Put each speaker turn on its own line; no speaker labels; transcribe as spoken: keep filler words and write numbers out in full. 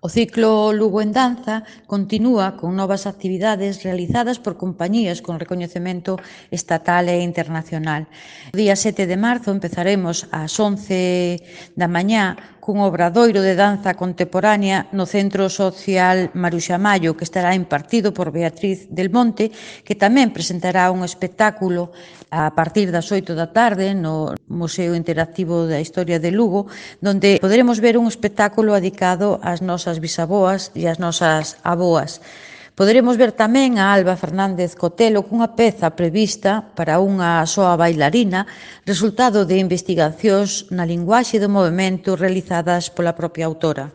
O ciclo Lugo en Danza continúa con novas actividades realizadas por compañías con recoñecemento estatal e internacional. O día sete de marzo empezaremos ás once da mañá cun obradoiro de danza contemporánea no Centro Social Maruxa Mallo, que estará impartido por Beatriz del Monte, que tamén presentará un espectáculo a partir das oito da tarde no Museo Interactivo da Historia de Lugo, donde poderemos ver un espectáculo dedicado ás nosas bisaboas e ás nosas aboas. Poderemos ver tamén a Alba Fernández Cotelo cunha peza prevista para unha soa bailarina, resultado de investigacións na linguaxe do movemento realizadas pola propia autora.